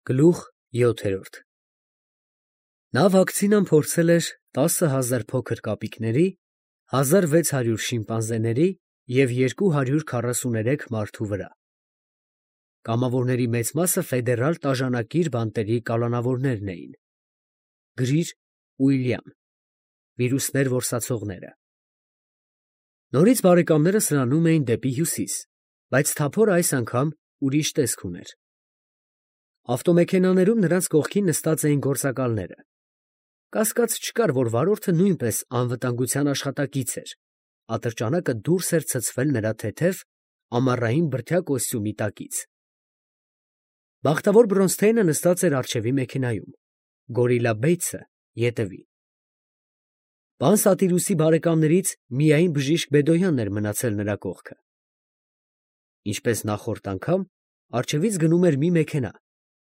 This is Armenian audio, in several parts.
Գլուխ 7 Նա վակցինան փորձել էր 10,000 փոքր կապիկների, 1600 շիմպանզեների և 243 մարդու վրա։ Կամավորների մեծ մասը ֆեդերալ տաժանակիր բանտերի կալանավորներն էին։ Գրիր Ուիլյամ, վիրուսներ որսացողները։ Նորից բարեկամները սրանում էին դեպի հյուսիս, բայց թափորը այս անգամ ուրիշ տեսք ուներ։ Ավտոմեքենաներում նրանց կողքին նստած էին գործակալները։ Կասկած չկար, որ վարորդը նույնպես անվտանգության աշխատակից էր, ատրճանակը դուրս էր ցցվել նրա թեթև, ամառային բրդյա կոստյումի տակից։ Բախտավոր Բրոնսթեյնը նստած էր առջևի մեքենայում, Գորիլլա Բեյցը ետևի։ Պան Սատիրուսի բարեկամներից միայն բժիշկ Բեդոյանն էր մնացել նրա կողքը։ Ինչպես նախորդ անգամ, առջևից գնում էր մի մեքենա,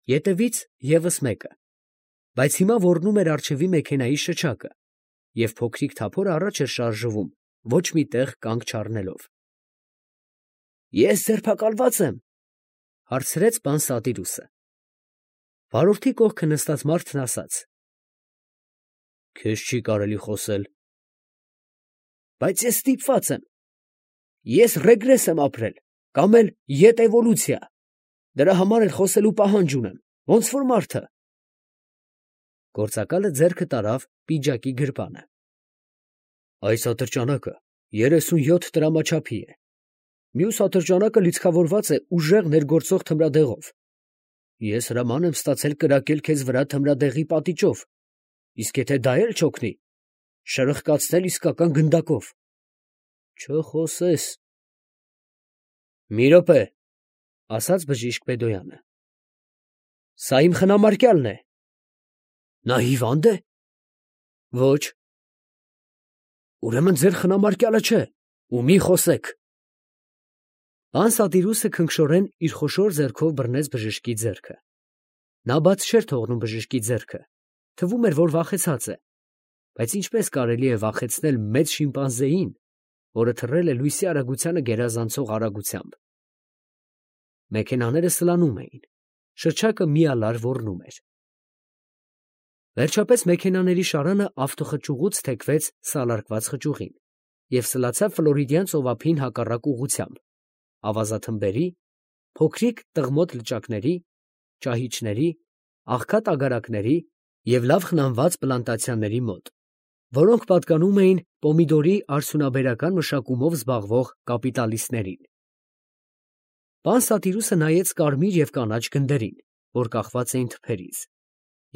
ետևից ևս մեկը, բայց հիմա ոռնում էր առջևի մեքենայի շչակը, և փոքրիկ թափորը առաջ էր շարժվում, ոչ մի տեղ կանգ չառնելով։ Ես ձերբակալված եմ, հարցրեց պան Սատիրուսը։ Վարորդի կողքը նստած մարդն ասաց. Քեզ չի կարելի խոսել։ Բայց ես ստիպված եմ։ Ես ռեգրես եմ ապրել, կամ էլ ետևոլյուցիա։ Դրա համար էլ խոսելու պահանջ ունեմ, ոնց որ մարդը։ Գործակալը ձեռքը տարավ պիջակի գրպանը։ Այս ատրճանակը 37 տրամաչափի է։ Մյուս ատրճանակը լիցքավորված է ուժեղ ներգործող թմրադեղով։ Ես հրաման եմ ստացել կրակել քեզ վրա թմրադեղի պատիճով, իսկ եթե դա էլ չօգնի, շրխկացնել իսկական գնդակով։ Չխոսես։ Մի րոպե, ասաց բժիշկ Բեդոյանը։ Սա իմ խնամարկյալն է։ Նա հիվա՞նդ է։ Ոչ։ Ուրեմն ձեր խնամարկյալը չէ, ու մի խոսեք։ Պան Սատիրուսը քնքշորեն իր խոշոր ձեռքով բռնեց բժշկի ձեռքը։ Նա բաց չէր թողնում բժշկի ձեռքը, թվում էր, որ վախեցած է, բայց ինչպես կարելի է վախեցնել մեծ շիմպանզեին, որը թռել է լույսի արագությանը գերազանցող արագությամբ։ Մեքենաները սլանում էին, շչակը միալար ոռնում էր։ Վերջապես մեքենաների շարանը ավտոխճուղուց թեքվեց սալարկված խճուղին և սլացավ Ֆլորիդյան ծովափին հակառակ ուղղությամբ, ավազաթմբերի, փոքրիկ տղմոտ լճակների, ճահիճների, աղքատ ագարակների և լավ խնամված պլանտացիաների մոտ, որոնք պատկանում էին պոմիդորի արդյունաբերական մշակումով զբաղվող կապիտալիստներին։ Պան Սատիրուսը նայեց կարմիր և կանաչ գնդերին, որ կախված էին թփերից,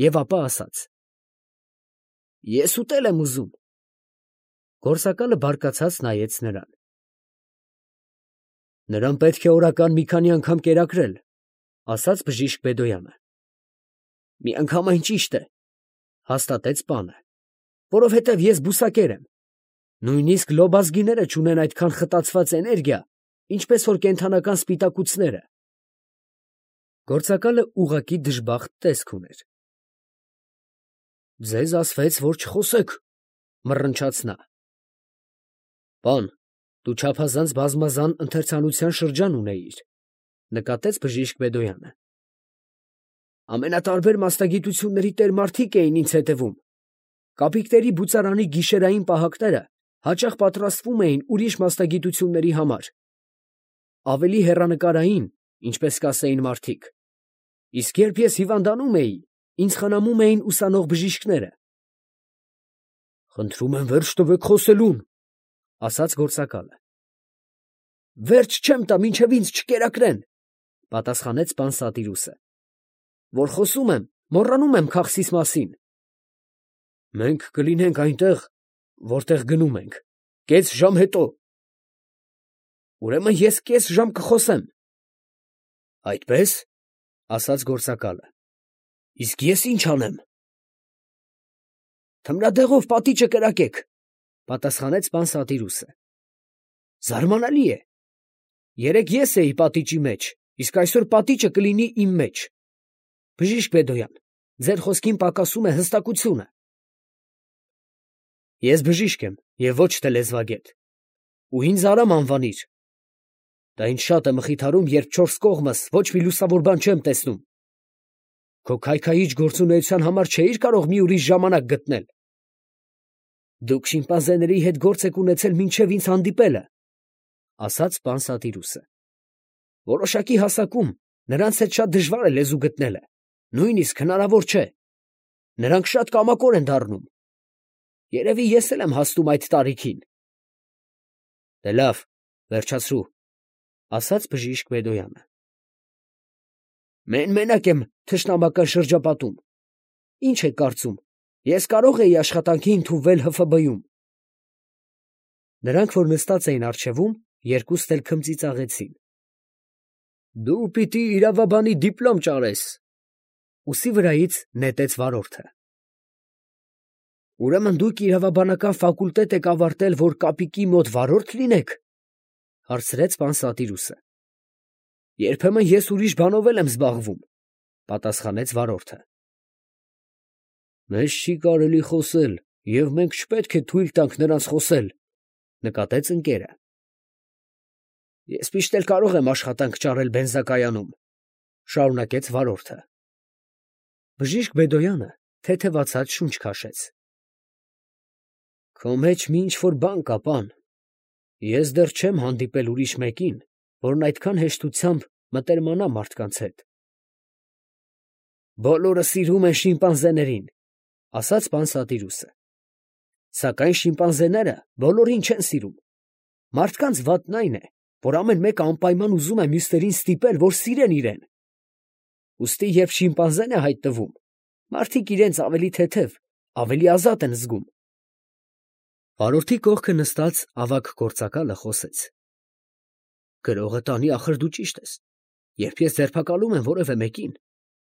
և ապա ասաց. Ես ուտել եմ ուզում։ Գործակալը բարկացած նայեց նրան։ Նրան պետք է օրական մի քանի անգամ կերակրել, ասաց բժիշկ Բեդոյանը։ Միանգամայն ճիշտ է, հաստատեց պանը, որովհետև ես բուսակեր եմ։ Նույնիսկ լոբազգիները չունեն այդքան խտացված էներգիա, ինչպես որ կենդանական սպիտակուցները։ Գործակալը ուղղակի դժբախտ տեսք ուներ։ Ձեզ ասվեց, որ չխոսեք, մռնչաց նա։ Պան, դու չափազանց բազմազան ընթերցանության շրջան ունեիր, նկատեց բժիշկ Բեդոյանը։ Ամենատարբեր մասնագիտությունների տերմարդիկ էին ինձ հետևում։ Կապիկների բուծարանի գիշերային պահակները հաճախ պատրաստվում էին ուրիշ մասնագիտությունների համար։ Ավելի հեռանկարային, ինչպես կասեին մարդիկ։ Իսկ երբ ես հիվանդանում էի, ինձ խնամում էին ուսանող բժիշկները։ Խնդրում եմ վերջ տվեք խոսելուն, ասաց գործակալը։ Վերջ չեմ տա, մինչև ինձ չկերակրեն, պատասխանեց պան Սատիրուսը։ Որ խոսում եմ, մոռանում եմ քաղցիս մասին։ Մենք կլինենք այնտեղ, որտեղ գնում ենք, կես ժամ հետո։ Ուրեմն ես կես ժամ կխոսեմ։ Այդպես, ասաց գործակալը։ Իսկ ես ինչ անեմ։ Թմրադեղով պատիճը կրակեք, պատասխանեց պան Սատիրուսը։ Զարմանալի է։ Երեկ ես էի պատիճի մեջ, իսկ այսօր պատիճը կլինի իմ մեջ։ Բժիշկ Բեդոյան, ձեր խոսքին պակասում է հստակությունը։ Ես բժիշկ եմ և ոչ թե լեզվագետ, ու ինձ Արամ անվանիր։ Դա ինձ շատ է մխիթարում, երբ չորս կողմս ոչ մի լուսավոր բան չեմ տեսնում։ Քո քայքայիչ գործունեության համար չէիր կարող մի ուրիշ ժամանակ գտնել։ Դուք շիմպանզեների հետ գործ եք ունեցել մինչև ինձ հանդիպելը, ասաց պան Սատիրուսը։ Որոշակի հասակում նրանց հետ շատ դժվար է լեզու գտնելը, նույնիսկ հնարավոր չէ։ Նրանք շատ կամակոր են դառնում։ Երևի ես էլ եմ հասնում այդ տարիքին։ Դե լավ, վերջացրու, ասաց բժիշկ Բեդոյանը։ Մենակ եմ թշնամական շրջապատում։ Ինչ եք կարծում, ես կարող էի աշխատանքի ընդունվել ՀՖԲ-ում։ Նրանք, որ նստած էին առջևում, երկուստ էլ քմծիծաղեցին։ Դու պիտի իրավաբանի դիպլոմ ճարես, ուսի վրայից նետեց վարորդը։ Ուրեմն դուք իրավաբանական ֆակուլտետ եք ավարտել, որ կապիկի մոտ վարորդ լինեք, հարցրեց պան Սատիրուսը։ Երբեմն ես ուրիշ բանով եմ զբաղվում, պատասխանեց վարորդը։ Մեզ չի կարելի խոսել, և մենք չպետք է թույլ տանք նրանց խոսել, նկատեց ընկերը։ Ես միշտ էլ կարող եմ աշխատանք ճարել բենզակայանում, շարունակեց վարորդը։ Բժիշկ Բեդոյանը թեթևացած շունչ քաշեց։ Քո մեջ մի ինչ-որ բան կա, պան։ Ես դեռ չեմ հանդիպել ուրիշ մեկին, որն այդքան հեշտությամբ մտերմանա մարդկանց հետ։ Բոլորը սիրում են շիմպանզեներին, ասաց պան Սատիրուսը։ Սակայն շիմպանզեները բոլորին չեն սիրում։ Մարդկանց վատն այն է, որ ամեն մեկը անպայման ուզում է մյուսներին ստիպել, որ սիրեն իրեն։ Ուստի երբ շիմպանզեն է հայտնվում, մարդիկ իրենց ավելի թեթև, ավելի ազատ են զգում։ Վարորդի կողքը նստած ավագ գործակալը խոսեց։ Գրողը տանի, ախր դու ճիշտ ես։ Երբ ես ձերբակալում եմ որևէ մեկին,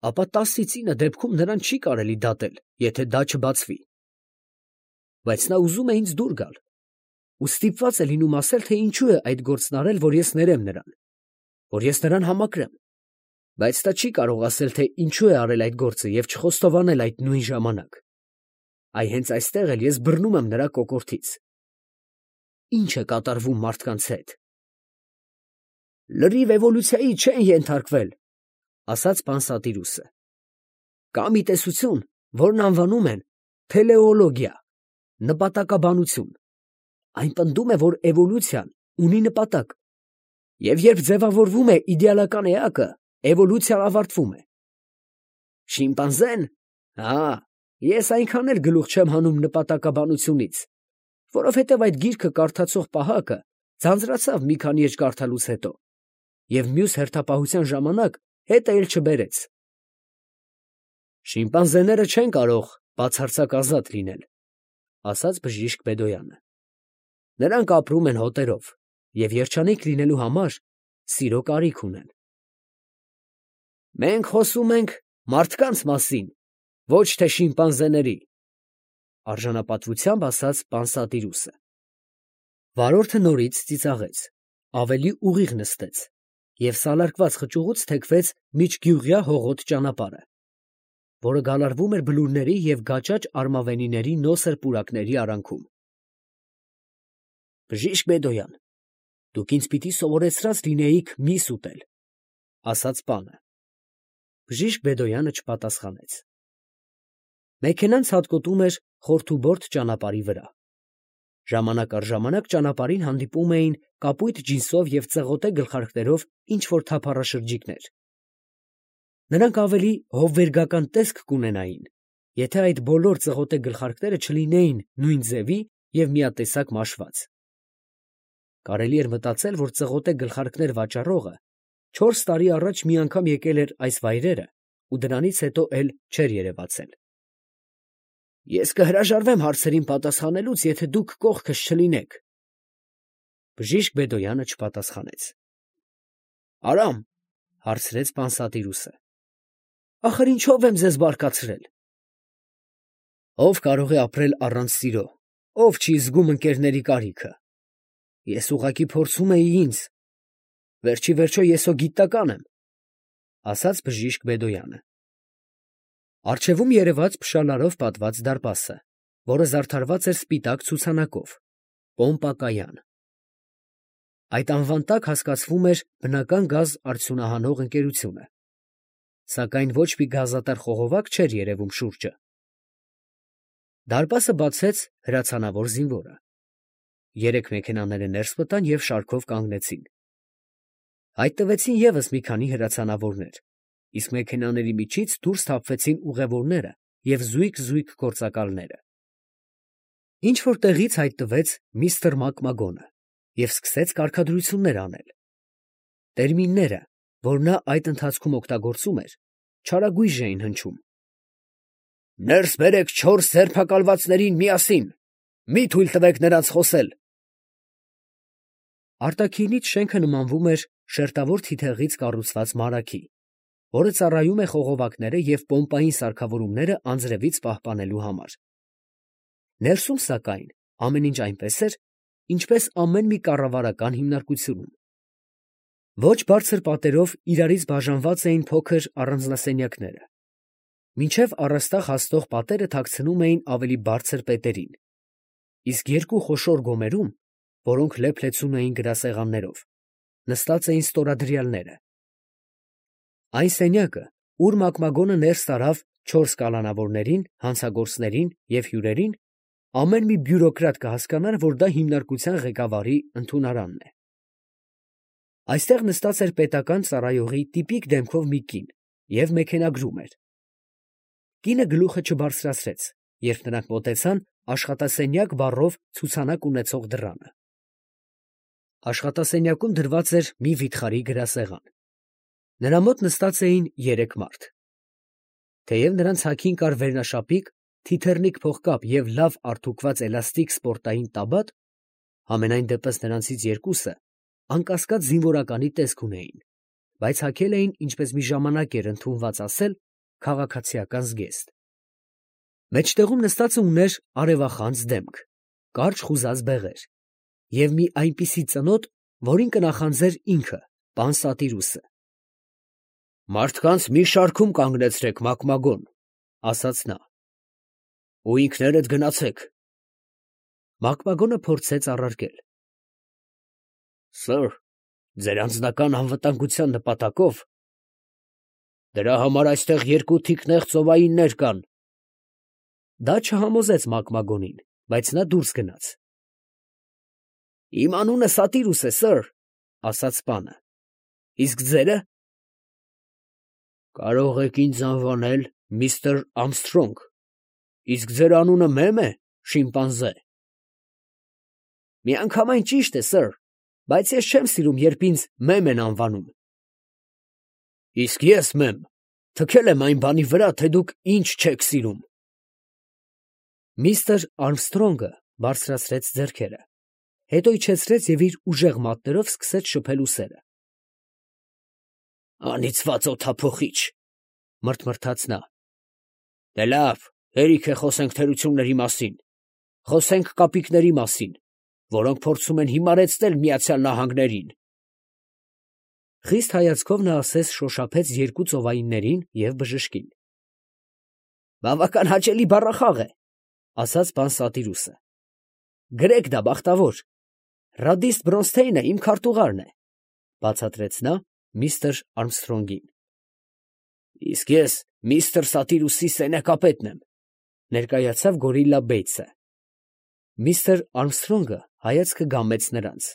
ապա 10-ից 9 դեպքում նրան չի կարելի դատել, եթե դա չբացվի։ Բայց նա ուզում է ինձ դուր գալ, ու ստիպված է լինում ասել, թե ինչու է այդ գործն արել, որ ես ներեմ նրան, որ ես նրան համակրեմ, բայց նա չի կարող ասել, թե ինչու է արել այդ գործը և չխոստովանել այդ նույն ժամանակ։ Այ հենց այստեղ էլ ես բռնում եմ նրա կոկորդից։ Ինչ է կատարվում մարդկանց հետ։ Լրիվ էվոլյուցիայի չեն ենթարկվել, ասաց պան Սատիրուսը։ Կա մի տեսություն, որն անվանում են թելեոլոգիա, նպատակաբանություն։ Այն պնդում է, որ էվոլյուցիան ունի նպատակ, և երբ ձևավորվում է իդեալական էակը, էվոլյուցիան ավարտվում է։ Շիմպանզեն, ես այնքան էլ գլուխ չեմ հանում նպատակաբանությունից, որովհետև այդ գիրքը կարդացող պահակը ձանձրացավ մի քանի էջ կարդալուց հետո, և մյուս հերթապահության ժամանակ հետը էլ չբերեց։ Շիմպանզեները չեն կարող բացարձակ ազատ լինել, ասաց բժիշկ Բեդոյանը։ Նրանք ապրում են հոտերով և երջանիկ լինելու համար սիրո կարիք ունեն։ Մենք խոսում ենք մարդկանց մասին, ոչ թե շիմպանզեների, արժանապատվությամբ ասաց պան Սատիրուսը։ Վարորդը նորից ծիծաղեց, ավելի ուղիղ նստեց և սալարկված խճուղուց թեքվեց միջգյուղյա հողոտ ճանապարհը, որը գալարվում էր բլուրների և գաճաճ արմավենիների նոսր պուրակների արանքում։ Բժիշկ Բեդոյան, դուք ինձ պիտի սովորեցրած լինեիք միս ուտել, ասաց պանը։ Բժիշկ Բեդոյանը չպատասխանեց։ Մեքենան ցատկոտում էր խորթուբորդ ճանապարհի վրա։ Ժամանակ առ ժամանակ ճանապարհին հանդիպում էին կապույտ ջինսով և ծղոտե գլխարկներով ինչ-որ թափառաշրջիկներ։ Նրանք ավելի հովվերգական տեսք կունենային, եթե այդ բոլոր ծղոտե գլխարկները չլինեին նույն ձևի և միատեսակ մաշված։ Կարելի էր մտածել, որ ծղոտե գլխարկներ վաճառողը 4 տարի առաջ մի անգամ եկել էր այս վայրերը ու դրանից հետո էլ չէր երևացել։ Ես կհրաժարվեմ հարցերին պատասխանելուց, եթե դուք կողքս չլինեք։ Բժիշկ Բեդոյանը չպատասխանեց։ Արամ, հարցրեց պան Սատիրուսը։ Ախր ինչով եմ ձեզ բարկացրել։ Ով կարող է ապրել առանց սիրո, ով չի զգում ընկերների կարիքը։ Ես ուղղակի փորձում էի ինձ։ Վերջիվերջո ես հո գիտնական եմ, ասաց բժիշկ Բեդոյանը։ Առջևում երևաց փշալարով պատված դարպասը, որը զարդարված էր սպիտակ ցուցանակով, Պոմպակայան։ Այդ անվան տակ հասկացվում էր բնական գազ արդյունահանող ընկերությունը։ սակայն ոչ մի գազատար խողովակ չէր երևում շուրջը։ Դարպասը բացեց հրացանավոր զինվորը։ Երեք մեքենաները ներս մտան և շարքով կանգնեցին։ Հայտնվեցին ևս մի քանի հրացանավորներ, իսկ մեքենաների միջից դուրս թափվեցին ուղևորները և զույգ գործակալները։ Ինչ-որ տեղից հայտնվեց միստր Մակմագոնը և սկսեց կարգադրություններ անել։ Տերմինները, որ նա այդ ընթացքում օգտագործում էր, չարագույժ էին հնչում։ «Ներս բերեք 4 ձերբակալվածներին միասին, մի թույլ տվեք նրանց խոսել»։ Արտաքինից շենքը նմանվում էր շերտավոր թիթեղից կառուցված մարագի, որը ծառայում է խողովակները և պոմպային սարքավորումները անձրևից պահպանելու համար։ Ներսում, սակայն, ամեն ինչ այնպես էր, ինչպես ամեն մի կառավարական հիմնարկությունում։ Ոչ բարձր պատերով իրարից բաժանված էին փոքր առանձնասենյակները, մինչև առաստաղ հասնող պատերը թաքցնում էին ավելի բարձր պետերին, իսկ երկու խոշոր գոմերում, որոնք լեփ-լեցուն էին գրասեղաններով, նստած էին ստորադրյալները։ Այն սենյակը, ուր Մակմագոնը ներս տարավ 4 կալանավորներին, հանցագործներին և հյուրերին, ամեն մի բյուրոկրատ կհասկանար, որ դա հիմնարկության ղեկավարի ընդունարանն է։ Այստեղ նստած էր պետական ծառայողի տիպիկ դեմքով մի կին և մեքենագրում էր։ Կինը գլուխը չբարձրացրեց, երբ նրանք մոտեցան աշխատասենյակ բառով ցուցանակ ունեցող դռանը։ Աշխատասենյակում դրված էր մի վիթխարի գրասեղան։ Նրա մոտ նստած էին 3 մարդ։ Թեև նրանց հագին կար վերնաշապիկ, թիթեռնիկ փողկապ և լավ արդուկված էլաստիկ սպորտային տաբատ, համենայն դեպս նրանցից երկուսը անկասկած զինվորականի տեսք ունեին, բայց հագել էին, ինչպես մի ժամանակ էր ընդունված ասել, քաղաքացիական զգեստ։ Մեջտեղում նստածը ուներ արևախանձ դեմք, կարճ խուզած բեղեր և մի այնպիսի ծնոտ, որին կնախանձեր ինքը, պան Սատիրուսը։ «Մարդկանց մի շարքում կանգնեցրեք, Մակմագոն, ֊ ասաց նա, ֊ ու ինքներդ գնացեք»։ Մակմագոնը փորձեց առարկել. «Սըր, ձեր անձնական անվտանգության նպատակով դրա համար այստեղ 2 թիկնեղ ծովայիններ կան»։ Դա չհամոզեց Մակմագոնին, բայց նա դուրս գնաց։ «Իմ անունը Սատիրուս է, սըր, ֊ ասաց պանը, ֊ իսկ ձերը»։ «Կարող եք ինձ անվանել միստր Ամսթրոնգ, իսկ ձեր անունը Մեմ է, շիմպանզե»։ «Միանգամայն ճիշտ է, սըր, բայց ես չեմ սիրում, երբ ինձ Մեմ են անվանում»։ «Իսկ ես, Մեմ, թքել եմ այն բանի վրա, թե դուք ինչ չեք սիրում»։ Միստր Արմսթրոնգը բարձրացրեց ձեռքերը, հետո իջեցրեց և իր ուժեղ մատներով սկսեց շփել ուսերը։ «Անիծված օդափոխիչ, ֊ մռթմռթաց նա, ֊ դե լավ, հերիք է խոսենք թերությունների մասին, խոսենք կապիկների մասին, որոնք փորձում են հիմարեցնել Միացյալ Նահանգներին»։ Խիստ հայացքով նա ասես շոշափեց 2 ծովայիններին և բժշկին։ «Բավական հաճելի բառախաղ է, ֊ ասաց պան Սատիրուսը, ֊ գրեք դա, բախտավոր, ռադիստ Բրոնսթեյնը իմ քարտուղարն է», ֊ բացատրեց նա միստր Արմսթրոնգին։ «Իսկ ես միստր Սատիրուսի սենյակապետն եմ, ֊ ներկայացավ գորիլլա Բեյցը։ Միստր Արմսթրոնգը հայացքը գամեց նրանց։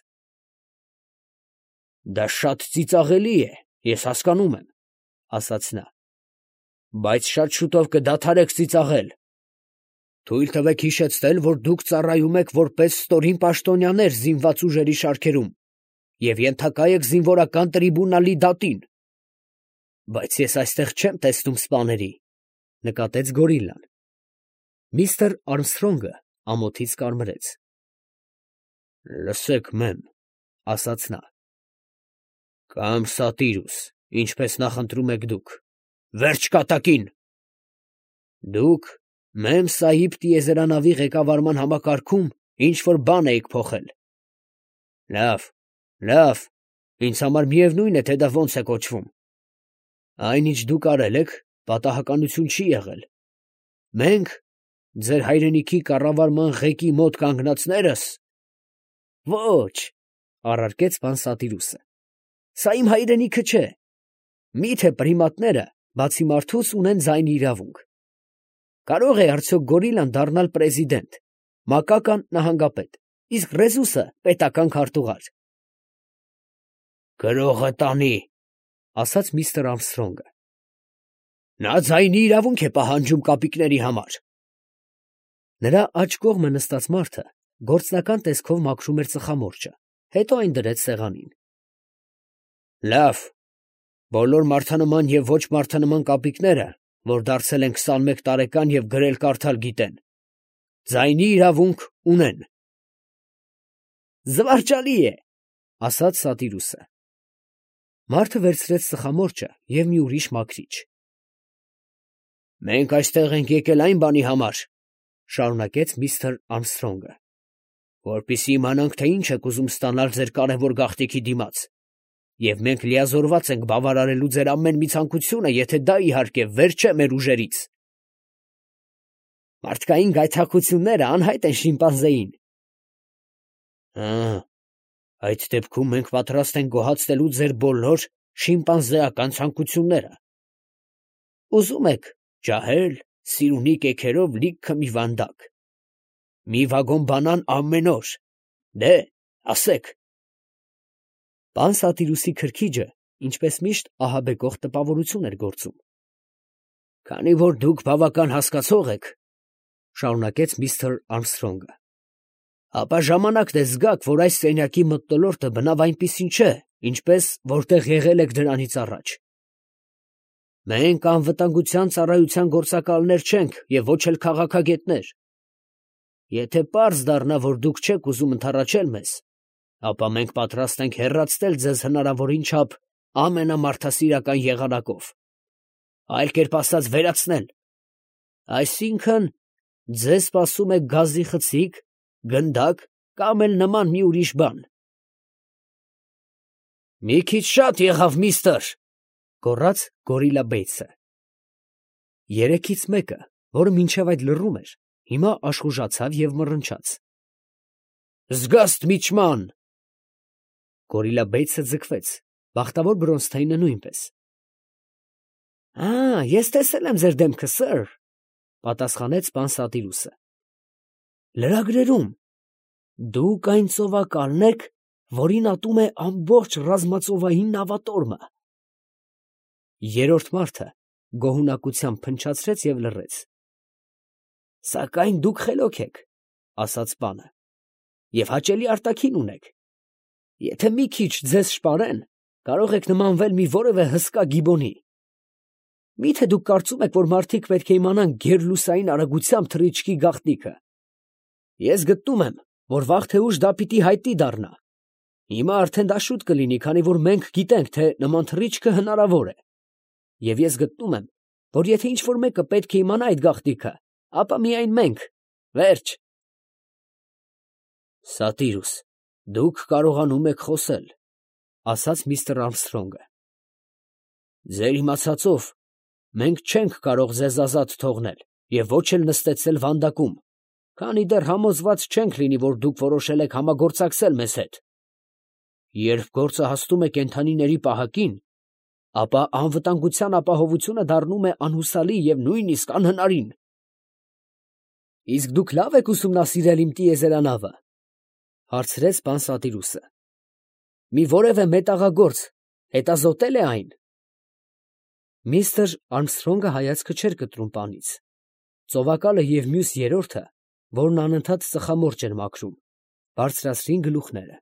«Դա շատ ծիծաղելի է, ես հասկանում եմ, ֊ ասաց նա, ֊ բայց շատ շուտով կդադարեք ծիծաղել։ Թույլ տվեք հիշեցնել, որ դուք ծառայում եք որպես ստորին պաշտոնյաներ զինված ուժերի շարքերում և ենթակա եք զինվորական տրիբունալի դատին»։ «Բայց ես այստեղ չեմ տեսնում սպաների, ֊ նկատեց գորիլլան։ Միստր Արմսթրոնգը ամոթից կարմրեց։ «Լսեք, Մեմ, ֊ ասաց նա, ֊ կամ Սատիրուս, ինչպես նախընտրում եք դուք, վերջ կատակին։ Դուք Մեմ Սահիբ տիեզերանավի ղեկավարման համակարգում ինչ֊որ բան էիք փոխել։ Լավ, լավ, ինձ համար միևնույն է, թե դա ոնց է կոչվում։ Այն, ինչ դուք արել եք, պատահականություն չի եղել։ Մենք, ձեր հայրենիքի կառավարման ղեկի մոտ կանգնածներս… Ոչ, ֊ առարկեց պան Սատիրուսը, ֊ սա իմ հայրենիքը չէ։ Մի՞թե պրիմատները բացի մարդուց ունեն ձայնի իրավունք։ Կարող է արդյոք գորիլան դառնալ պրեզիդենտ, մակական նահանգապետ, իսկ ռեզուսը պետական քարտուղար։ Գրողը տանի, ասաց միստր Արմսթրոնգը։ Նա ձայնի իրավունք է պահանջում կապիկների համար։ Նրա աջ կողմը նստած մարդը գործնական տեսքով մաքրում էր ծխամորճը, հետո այն դրեց սեղանին։ Լավ, բոլոր մարդանման և ոչ մարդանման կապիկները, որ դարձել են 21 տարեկան և գրել կարդալ գիտեն, ձայնի իրավունք ունեն։ Զվարճալի է, ասաց Սատիրուսը։ Մարդը վերցրեց ծխամորճը և մի ուրիշ մաքրիչ։ Մենք այստեղ ենք եկել այն բանի համար, շարունակեց միստր Արմսթրոնգը, որպեսզի իմանանք, թե ինչ եք ուզում ստանալ ձեր կարևոր գաղտնիքի դիմաց, և մենք լիազորված ենք բավարարելու ձեր ամեն մի ցանկությունը, եթե դա, իհարկե, վեր չէ մեր ուժերից։ Մարդկային գայթակղությունները անհայտ են շիմպանզեին։ Այդ դեպքում մենք պատրաստ ենք գոհացնելու ձեր բոլոր շիմպանզեական ցանկությունները։ Ուզում եք ջահել, սիրունի կեքերով լիքը մի վանդակ, մի վագոն բանան ամեն օր, դե, ասեք։ Պան Սատիրուսի քրքիջը, ինչպես միշտ, ահաբեկող տպավորություն էր գործում։ Քանի որ դուք բավական հասկացող եք, շարունակեց միստր Արմսթրոնգը, ապա ժամանակն է զգաք, որ այս սենյակի մթնոլորտը բնավ այնպիսին չէ, ինչպես որտեղ եղել եք դրանից առաջ։ Մենք անվտանգության ծառայության գործակալներ չենք և ոչ էլ քաղաքագետներ։ Եթե պարզ դառնա, որ դուք չեք ուզում ընդառաջել մեզ, ապա մենք պատրաստ ենք հեռացնել ձեզ հնարավորին չափ ամենամարդասիրական եղանակով, այլ կերպ ասած վերացնել։ Այսինքն, ձեզ սպասում է գազի խցիկ, գնդակ կամ էլ նման մի ուրիշ բան։ Մի քիչ շատ եղավ, միստր, գոռաց Գորիլա Բեյթսը։ Երեքից մեկը, որը մինչև այդ լռում էր, հիմա աշխուժացավ և մռնչաց։ Զգաստ միչման։ Գորիլա Բեյթսը ձգվեց, բախտավոր Բրոնսթեյնը նույնպես։ Ես տեսել եմ ձեր դեմքը, սըր, պատասխանեց պան Սատիրուսը։ Լրագրերում դուք այն ծովակալն եք, որին ատում է ամբողջ ռազմածովային նավատորմը։ Երրորդ մարդը գոհունակությամբ փնչացրեց և լռեց։ Սակայն դուք խելոք եք, ասաց պանը, և հաճելի արտաքին ունեք։ Եթե մի քիչ ձեզ շպարեն, կարող եք նմանվել մի որևէ հսկա գիբոնի։ Մի՞թե դուք կարծում եք, որ մարդիկ պետք է իմանան գերլուսային արագությամբ թռիչքի գաղտնիքը։ Ես գտնում եմ, որ վաղ թե ուշ դա պիտի հայտնի դառնա։ Հիմա արդեն դա շուտ կլինի, քանի որ մենք գիտենք, թե նման թռիչքը հնարավոր է։ Եվ ես գտնում եմ, որ եթե ինչ-որ մեկը պետք է իմանա այդ գաղտնիքը, ապա միայն մենք։ Վերջ։ Սատիրուս, դուք կարողանում եք խոսել, ասաց միստր Արմսթրոնգը։ Ձեր իմացածով, մենք չենք կարող ձեզ ազատ թողնել և ոչ էլ նստեցնել վանդակում, քանի դեռ համոզված չենք լինի, որ դուք որոշել եք համագործակցել մեզ հետ։ Երբ գործը հասնում է կենդանիների պահակին, ապա անվտանգության ապահովությունը դառնում է անհուսալի և նույնիսկ անհնարին։ Իսկ դուք լավ եք ուսումնասիրել իմ տիեզերանավը, հարցրեց պան Սատիրուսը։ Մի որևէ մետաղագործ հետազոտել է այն։ Միստր Արմսթրոնգը հայացքը չէր կտրում պանից։ Ծովակալը և մյուս երրորդը, որն անընդհատ ծխամորճ էր մաքրում, բարձրացրին գլուխները։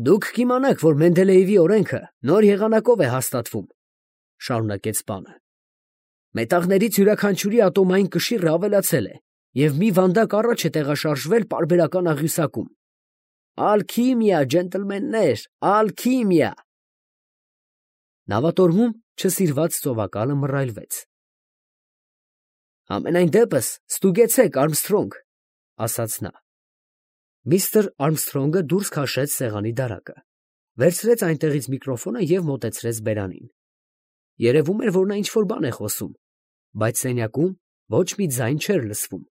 Դուք կիմանաք, որ Մենդելեևի օրենքը նոր եղանակով է հաստատվում, շարունակեց պանը։ Մետաղներից յուրաքանչյուրի ատոմային կշիռը ավելացել է, և մի վանդակ առաջ է տեղաշարժվել պարբերական աղյուսակում։ Ալքիմիա, ջենտլմեններ, ալքիմիա։ Նավատորմում չսիրված ծովակալը մռայլվեց։ Համենայն դեպս ստուգեցեք, Արմսթրոնգ, ասաց նա։ Միստր Արմսթրոնգը դուրս քաշեց սեղանի դարակը, վերցրեց այնտեղից միկրոֆոնը և մոտեցրեց բերանին։ Երևում էր, որ նա ինչ-որ բան է խոսում, բայց սենյակում ոչ մի ձայն չէր լսվում։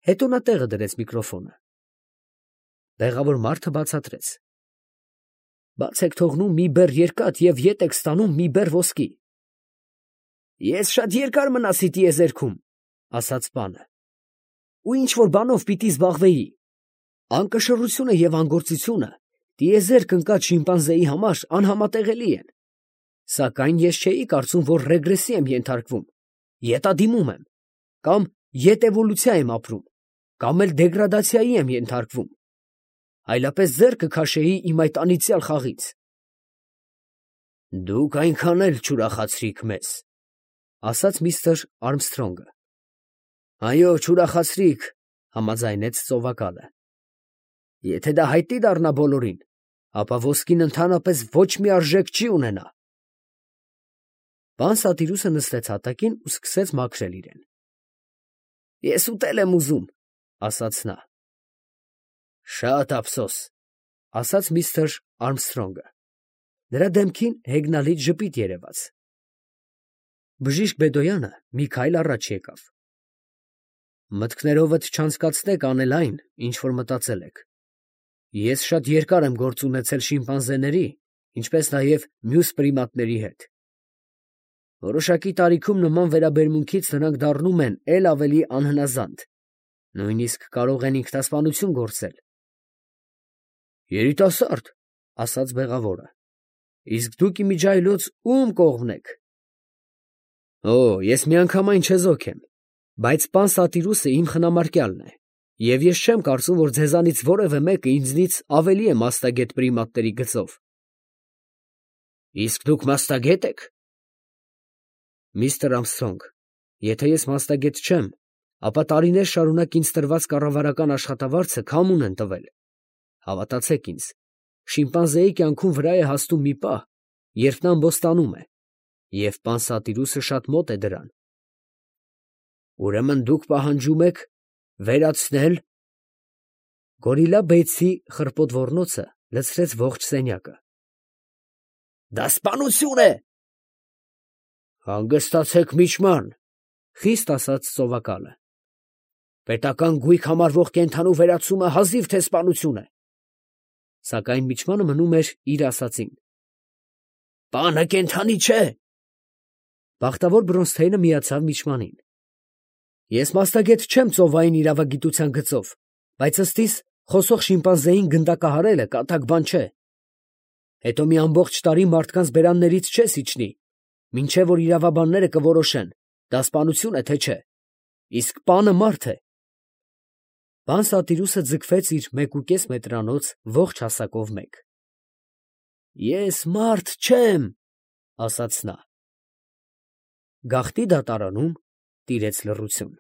Հետո նա տեղը դրեց միկրոֆոնը։ Բեղավոր մարդը բացատրեց. Բաց եք թողնում մի բեռ երկաթ և ետ եք ստանում մի բեռ ոսկի։ Ես շատ երկար մնացի տիեզերքում, ասաց պանը, ու ինչ որ բանով պիտի զբաղվեի։ Անկշռությունը եւ անգործությունը տիեզերք ընկած շիմպանզեի համար անհամատեղելի են։ Սակայն ես չէի կարծում, որ ռեգրեսի եմ ենթարկվում, ետադիմում եմ, կամ ետևոլյուցիա եմ ապրում, կամ էլ դեգրադացիայի եմ ենթարկվում, այլապես ձեռքը քաշեի իմ այդ անիծյալ խաղից։ Դուք այնքան էլ չուրախացրիք մեզ, ասաց միստր Արմսթրոնգը։ Այո, չուրախացրիք, համաձայնեց ծովակալը։ Եթե դա հայտնի դառնա բոլորին, ապա ոսկին ընդհանրապես ոչ մի արժեք չի ունենա։ Պան Սատիրուսը նստեց հատակին ու սկսեց մաքրել իրեն։ Ես ուտել եմ ուզում, ասաց նա։ Շատ ափսոս, ասաց միստր Արմսթրոնգը։ Նրա դեմքին հեգնալից ժպիտ երևաց։ Բժիշկ Բեդոյանը մի քայլ առաջ եկավ։ Մտքներովդ չանցկացնեք անել այն, ինչ որ մտածել եք։ Ես շատ երկար եմ գործ ունեցել շիմպանզեների, ինչպես նաև մյուս պրիմատների հետ։ Որոշակի տարիքում նման վերաբերմունքից նրանք դառնում են էլ ավելի անհնազանդ, նույնիսկ կարող են ինքնասպանություն գործել։ Երիտասարդ, ասաց բեղավորը, իսկ դուք իմիջիայլոց ում կողմն եք։ Օ, ես միանգամայն չեզոք եմ, բայց պան Սատիրուսը իմ խնամարկյալն է, և ես չեմ կարծում, որ ձեզանից որևէ մեկը ինձնից ավելի է մասնագետ պրիմատների գծով։ Իսկ դուք մասնագետ եք։ Միստր Արմսթրոնգ, եթե ես մասնագետ չեմ, ապա տարիներ շարունակ ինձ տրված կառավարական աշխատավարձը քամուն են տվել։ Հավատացեք ինձ, շիմպանզեի կյանքում վրա է հասնում մի պահ, երբ նա ամբոստանում է, և պան Սատիրուսը շատ մոտ է դրան։ Ուրեմն դուք պահանջում եք վերացնել… Գորիլլա Բեյցի խռպոտ ոռնոցը լցրեց ողջ սենյակը։ Դա սպանություն է։ Հանգստացեք, միջման, խիստ ասաց ծովակալը։ Պետական գույք համարվող կենդանու վերացումը հազիվ թե սպանություն է։ Սակայն միջմանը մնում էր իր ասածին։ Պանը կենդանի չէ։ Բախտավոր Բրոնսթեյնը միացավ միջմանին։ Ես մասնագետ չեմ ծովային իրավագիտության գծով, բայց ըստիս խոսող շիմպանզեին գնդակահարելը կատակ բան չէ։ Հետո մի ամբողջ տարի մարդկանց բերաններից չես իջնի, մինչև որ իրավաբանները կորոշեն, դա սպանություն է, թե չէ։ Իսկ պանը մարդ է։ Պան Սատիրուսը ձգվեց իր 1,5 մետրանոց ողջ հասակով մեկ։ Ես մարդ չեմ, ասաց նա։ Գաղտնի դատարանում տիրեց լռություն։